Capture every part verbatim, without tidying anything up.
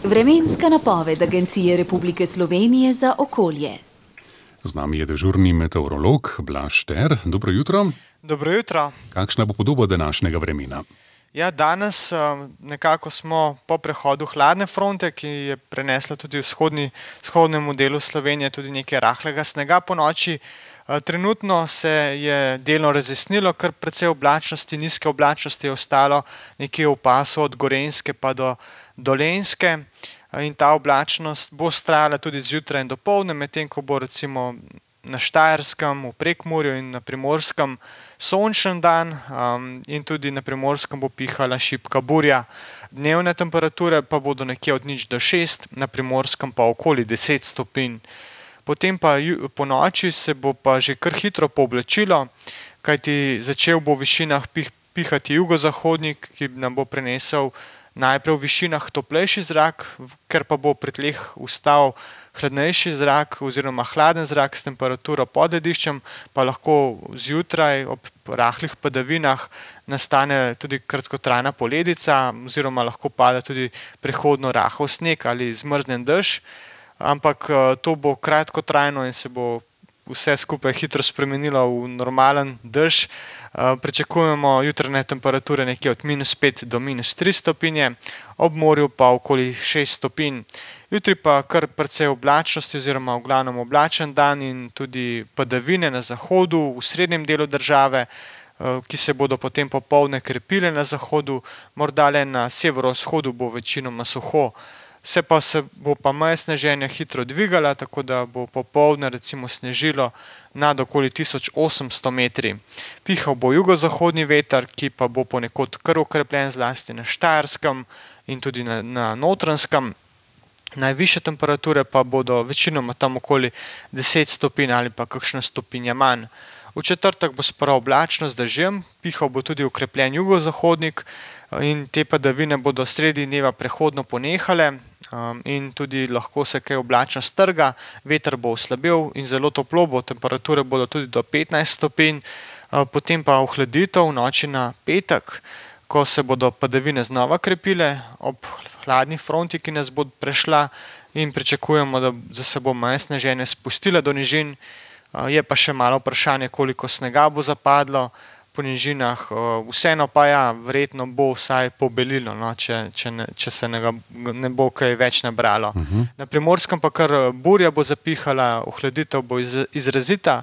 Vremenska napoved Agencije Republike Slovenije za okolje. Z nami je dežurni meteorolog Blaž Šter. Dobro jutro. Dobro jutro. Kakšna bo podoba današnjega vremena? Ja, danes nekako smo po prehodu hladne fronte, ki je prenesla tudi v vzhodni, vzhodnemu delu Slovenije tudi nekaj rahlega snega ponoči. Trenutno se je delno razjasnilo, kar precej oblačnosti, nizke oblačnosti je ostalo nekje v pasu od Gorenjske pa do Dolenjske. In ta oblačnost bo vztrajala tudi zjutraj in dopoldne, medtem ko bo recimo na Štajerskem, v Prekmurju in na Primorskem sončen dan um, in tudi na Primorskem bo pihala šibka burja. Dnevne temperature pa bodo nekje od nič do šest, na Primorskem pa okoli deset stopinj. Potem pa po noči se bo pa že kar hitro pooblačilo, kajti začel bo v višinah pih, pihati jugozahodnik, ki nam bo prenesel najprej v višinah toplejši zrak, ker pa bo pri tleh ustal hladnejši zrak oziroma hladen zrak s temperaturo pod lediščem, pa lahko zjutraj ob rahlih padavinah nastane tudi kratkotrajna poledica oziroma lahko pada tudi prehodno rahel sneg ali zmrznjen dež, ampak to bo kratkotrajno in se bo vse skupaj hitro spremenilo v normalen dež. Pričakujemo jutranje temperature nekje od minus pet do minus tri stopinje, ob morju pa okoli šest stopinj. Jutri pa kar precej oblačnosti oziroma v glavnem oblačen dan in tudi padavine na zahodu, v srednjem delu države, ki se bodo potem popoldne krepile na zahodu, morda le na severovzhodu bo večinoma suho. Vse pa se bo pa meja sneženja hitro dvigala, tako da bo popoldne recimo snežilo nad okoli tisoč osemsto metri. Pihal bo jugozahodni veter, ki pa bo ponekod kar okrepljen zlasti na Štajerskem in tudi na, na Notranjskem. Najvišje temperature pa bodo večinoma tam okoli deset stopinj ali pa kakšna stopinja manj. V četrtek bo sprva oblačno z dežjem, pihal bo tudi okrepljen jugozahodnik in te padavine bodo sredi dneva prehodno ponehale in tudi lahko se kaj oblačno strga, veter bo oslabel in zelo toplo bo, temperature bodo tudi do petnajst stopinj, potem pa ohladitev v noči na petek, ko se bodo padavine znova krepile ob hladni fronti, ki nas bo prešla in pričakujemo, da se bo meja sneženja spustila do nižin. Je pa še malo vprašanje, koliko snega bo zapadlo po nižinah, vseeno pa ja, verjetno bo vsaj pobelilo, no, če, če, ne, če se ne, ne bo kaj več nabralo. Uh-huh. Na Primorskem pa kar burja bo zapihala, ohladitev bo iz, izrazita,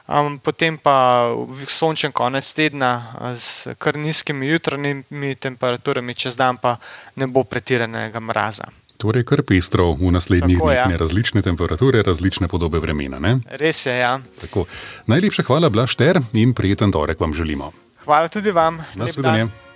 um, potem pa sončen konec tedna z kar nizkimi jutranjimi temperaturami, čez dan pa ne bo pretiranega mraza. Torej kar pestro v naslednjih Tako, dneh, ja. ne različne temperature, različne podobe vremena, ne? Res je, ja. Tako. Najlepša hvala, Blaž Šter, in prijeten torek vam želimo. Hvala tudi vam. Nasvidenje.